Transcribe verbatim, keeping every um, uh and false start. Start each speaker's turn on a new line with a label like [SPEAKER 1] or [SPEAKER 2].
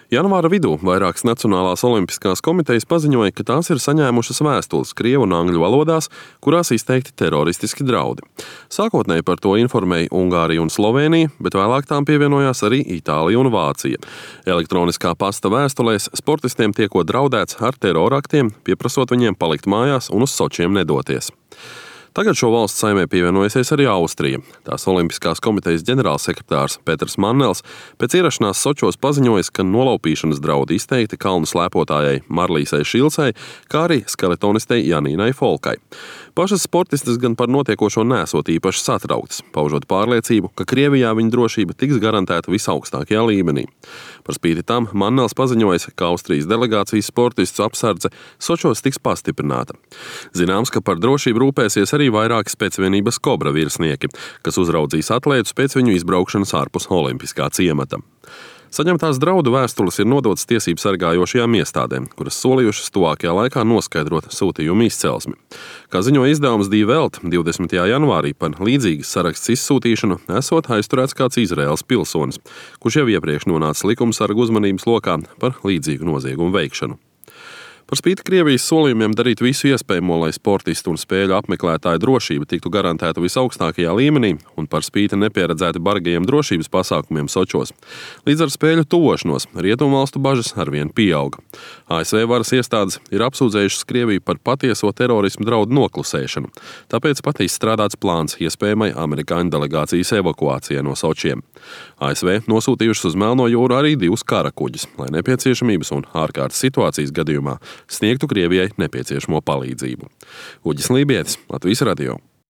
[SPEAKER 1] Janvāra vidū vairākas Nacionālās olimpiskās komitejas paziņoja, ka tās ir saņēmušas vēstules krievu un angļu valodās, kurās izteikti teroristiski draudi. Sākotnēji par to informēja Ungārija un Slovēnija, bet vēlāk tām pievienojās arī Itālija un Vācija. Elektroniskā pasta vēstulēs sportistiem tiekot draudēts ar teroraktiem, pieprasot viņiem palikt mājās un uz Sočiem nedoties. Tagad šo valsts saimē pievienojusies arī Austrija. Tās Olimpiskās komitejas ģenerālsekretārs Petrs Mannels pēc ierašanās Sočos paziņojis, ka nolaupīšanas draudi izteikti kalnu slēpotājai Marlīsai Šilcei, kā arī skeletonistei Janīnai Folkai. Pašas sportistes gan par notiekošo nesot īpaši satrauktas, paužot pārliecību, ka Krievijā viņa drošība tiks garantēta visaugstākajā līmenī. Par spīti tam Mannels paziņojis, ka Austrijas delegācijas sportistu apsardze Sočos tiks pastiprināta. Zināms, ka par drošību rūpēsies arī vairāki spēcvienības Kobra virsnieki, kas uzraudzīs atlētus pēc viņu izbraukšanas ārpus olimpiskā ciemata. Saņemtās draudu vēstules ir nodotas tiesību sargājošajām iestādēm, kuras solījušas tuvākajā laikā noskaidrot sūtījumu izcelsmi. Kā ziņoja izdevums Die Welt, divdesmitajā janvārī par līdzīgas saraksts izsūtīšanu esot aizturēts kāds Izraēlas pilsonis, kurš jau iepriekš nonāca likumsargu uzmanības lokā par līdzīgu noziegumu veikšanu. Par spīti Krievijas solījumiem darīt visu iespējamo, lai sportistu un spēļu apmeklētāju drošība tiktu garantēta visaugstākajā līmenī un par spīti nepieredzēti bargajiem drošības pasākumiem Sočos. Līdz ar spēļu tuvošanos rietumvalstu bažas arvien pieauga. A S V varas iestādes ir apsūdzējušas Krieviju par patieso terorismu draudu noklusēšanu, tāpēc pat izstrādāts plāns iespējamai amerikāņu delegācijas evakuācijai no Sočiem. A S V nosūtījušas uz Melno jūru arī divus karakuģus, lai nepieciešamības un ārkārtas situācijas gadījumā sniegtu Krievijai nepieciešamo palīdzību. Uģis Lībietis, Latvijas radio.